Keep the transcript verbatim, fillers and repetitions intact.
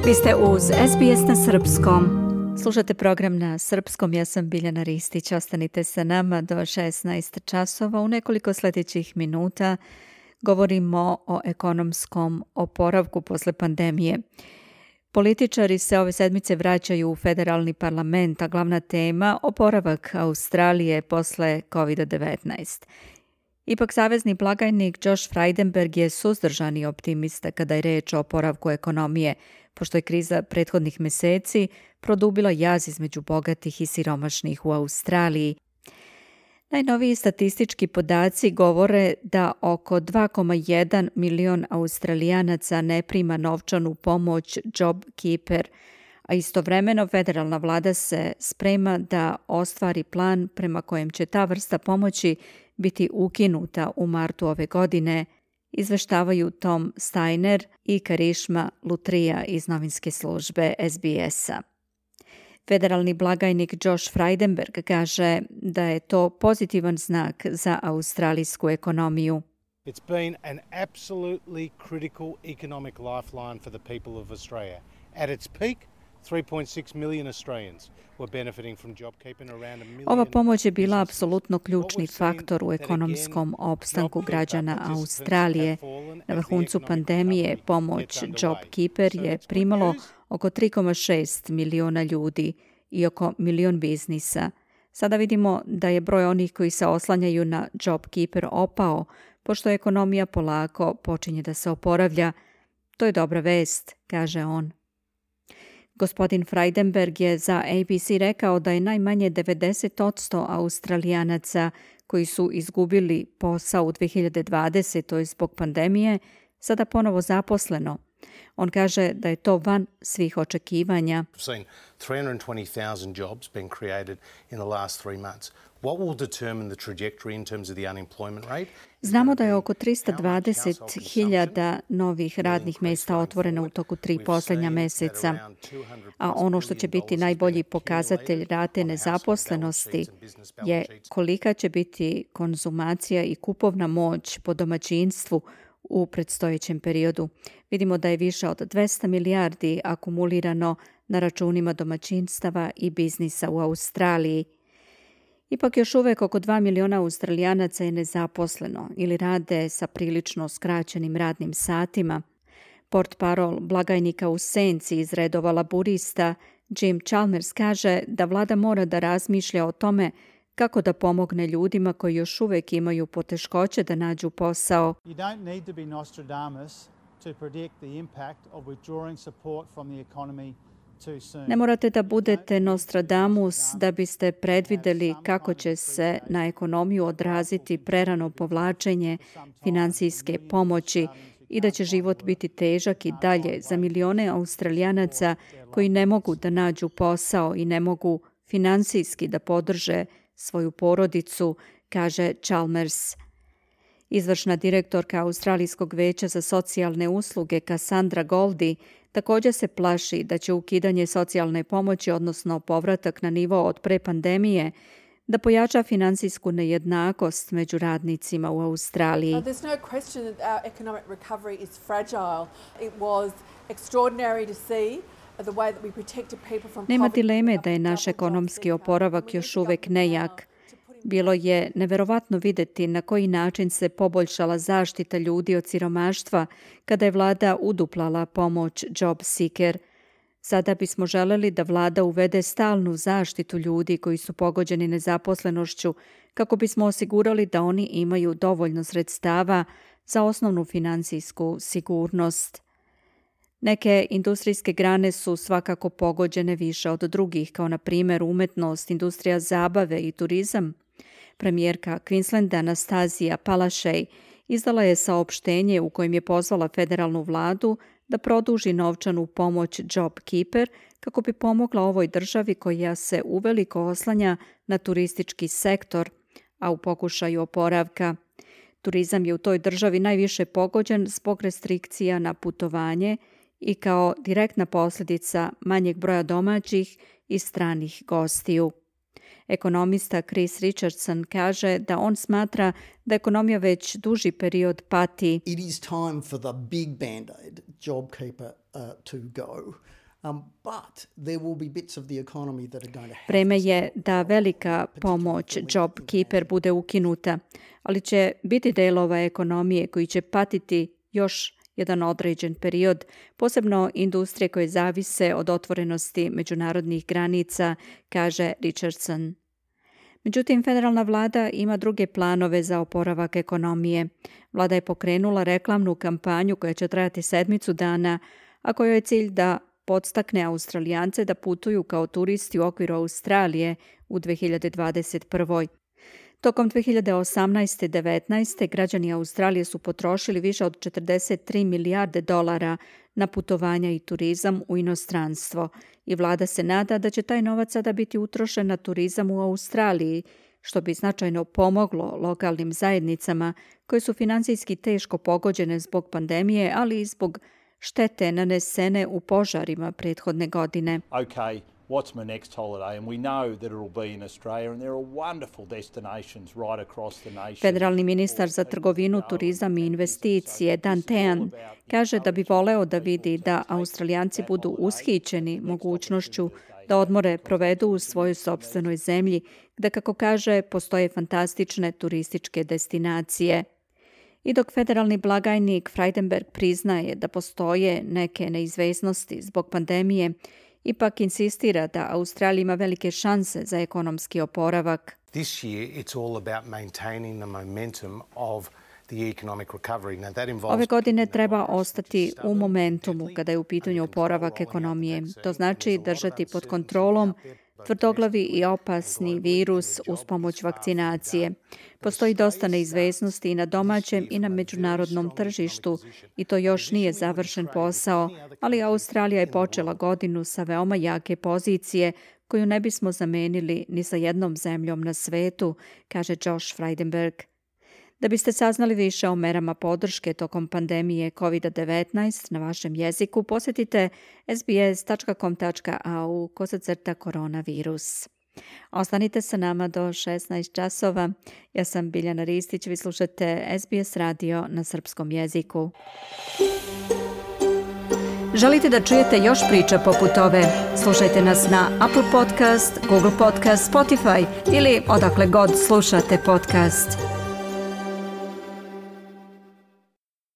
Vi ste uz S B S na srpskom. Slušate program na srpskom, ja sam Biljana Ristić. Ostanite sa nama do šesnaest časova. U nekoliko sljedećih minuta govorimo o ekonomskom oporavku posle pandemije. Političari se ove sedmice vraćaju u federalni parlament, a glavna tema oporavak Australije posle kovid devetnaest. Ipak savezni blagajnik Josh Frydenberg je suzdržani optimista kada je reč o oporavku ekonomije, pošto je kriza prethodnih meseci produbila jaz između bogatih i siromašnih u Australiji. Najnoviji statistički podaci govore da oko dva zarez jedan milion Australijanaca ne prima novčanu pomoć JobKeeper, a istovremeno federalna vlada se sprema da ostvari plan prema kojem će ta vrsta pomoći biti ukinuta u martu ove godine, izveštavaju Tom Steiner i Karishma Lutrija iz novinske službe S B S-a. Federalni blagajnik Josh Frydenberg kaže da je to pozitivan znak za australijsku ekonomiju. It's been an absolutely critical economic lifeline for the people of Australia. At its peak, three point six million Australians were benefiting from JobKeeper, around a million. Ova pomoć je bila apsolutno ključni faktor u ekonomskom opstanku građana Australije. Na vrhuncu pandemije pomoć JobKeeper je primalo oko tri zarez šest miliona ljudi i oko milion biznisa. Sada vidimo da je broj onih koji se oslanjaju na JobKeeper opao, pošto ekonomija polako počinje da se oporavlja. To je dobra vest, kaže on. Gospodin Frydenberg je za A B C rekao da je najmanje devedeset posto Australijanaca koji su izgubili posao u dve hiljade dvadesetoj zbog pandemije sada ponovo zaposleno. On kaže da je to van svih očekivanja. We've seen three hundred twenty thousand jobs being created in the last three months. What will determine the trajectory in terms of the unemployment rate? Znamo da je oko tristo dvadeset hiljada novih radnih mjesta otvoreno u toku tri posljednja meseca, a ono što će biti najbolji pokazatelj rate nezaposlenosti je kolika će biti konzumacija i kupovna moć po domaćinstvu u predstojećem periodu. Vidimo da je više od dvesta milijardi akumulirano na računima domaćinstava i biznisa u Australiji. Ipak još uvek oko dva miliona Australijanaca je nezaposleno ili rade sa prilično skraćenim radnim satima. Portparol blagajnika u senci iz redova laburista Jim Chalmers kaže da vlada mora da razmišlja o tome kako da pomogne ljudima koji još uvek imaju poteškoće da nađu posao. You don't need to be Nostradamus to predict the impact of withdrawing support from the economy too soon. Ne morate da budete Nostradamus da biste predvideli kako će se na ekonomiju odraziti prerano povlačenje finansijske pomoći i da će život biti težak i dalje za milione Australijanaca koji ne mogu da nađu posao i ne mogu finansijski da podrže svoju porodicu, kaže Chalmers. Izvršna direktorka Australijskog veća za socijalne usluge Cassandra Goldie također se plaši da će ukidanje socijalne pomoći, odnosno povratak na nivo od pre pandemije, da pojača finansijsku nejednakost među radnicima u Australiji. Uh, there's no question that our economic recovery is fragile. It was extraordinary to see Nema dileme da je naš ekonomski oporavak još uvek nejak. Bilo je neverovatno videti na koji način se poboljšala zaštita ljudi od siromaštva kada je vlada uduplala pomoć JobSeeker. Sada bismo želeli da vlada uvede stalnu zaštitu ljudi koji su pogođeni nezaposlenošću kako bismo osigurali da oni imaju dovoljno sredstava za osnovnu finansijsku sigurnost. Neke industrijske grane su svakako pogođene više od drugih, kao na primjer umetnost, industrija zabave i turizam. Premijerka Queenslanda Anastazija Palaszczuk izdala je saopštenje u kojem je pozvala federalnu vladu da produži novčanu pomoć JobKeeper kako bi pomogla ovoj državi koja se uveliko oslanja na turistički sektor, a u pokušaju oporavka. Turizam je u toj državi najviše pogođen zbog restrikcija na putovanje i kao direktna posljedica manjeg broja domaćih i stranih gostiju. Ekonomista Chris Richardson kaže da on smatra da ekonomija već duži period pati. It is time for the big band-aid, JobKeeper, uh, to go. Um, but there will be bits of the economy that are going to have Vreme je da velika pomoć JobKeeper bude ukinuta, ali će biti delova ekonomije koji će patiti još jedan određen period, posebno industrije koje zavise od otvorenosti međunarodnih granica, kaže Richardson. Međutim, federalna vlada ima druge planove za oporavak ekonomije. Vlada je pokrenula reklamnu kampanju koja će trajati sedmicu dana, a kojoj je cilj da podstakne Australijance da putuju kao turisti u okviru Australije u dve hiljade dvadeset prvoj. Tokom dve hiljade osamnaeste devetnaeste građani Australije su potrošili više od četrdeset tri milijarde dolara na putovanja i turizam u inostranstvo i vlada se nada da će taj novac sada biti utrošen na turizam u Australiji, što bi značajno pomoglo lokalnim zajednicama koje su finansijski teško pogođene zbog pandemije, ali i zbog štete nanesene u požarima prethodne godine. Okay, what's my next holiday? And we know that it'll be in Australia and there are wonderful destinations right across the nation. Federalni ministar za trgovinu, turizam i investicije Dan Tehan kaže da bi voleo da vidi da Australijanci budu ushićeni mogućnošću da odmore provedu u svojoj sopstvenoj zemlji, gde, kako kaže, postoje fantastične turističke destinacije. I dok federalni blagajnik Frydenberg priznaje da postoje neke neizvesnosti zbog pandemije, ipak insistira da Australija ima velike šanse za ekonomski oporavak. This year it's all about maintaining the momentum of the economic recovery. Now that involves Ove godine treba ostati u momentumu kada je u pitanju oporavak ekonomije. To znači držati pod kontrolom tvrdoglavi i opasni virus uz pomoć vakcinacije. Postoji dosta neizvesnosti i na domaćem i na međunarodnom tržištu i to još nije završen posao, ali Australija je počela godinu sa veoma jake pozicije koju ne bismo zamenili ni sa jednom zemljom na svetu, kaže Josh Frydenberg. Da biste saznali više o merama podrške tokom pandemije kovid devetnaest na vašem jeziku, posjetite sbs.com.au kosacrta koronavirus. Ostanite sa nama do šesnaest časova. Ja sam Biljana Ristić, vi slušate S B S radio na srpskom jeziku. Želite da čujete još priča poput ove? Slušajte nas na Apple Podcast, Google Podcast, Spotify ili odakle god slušate podcast.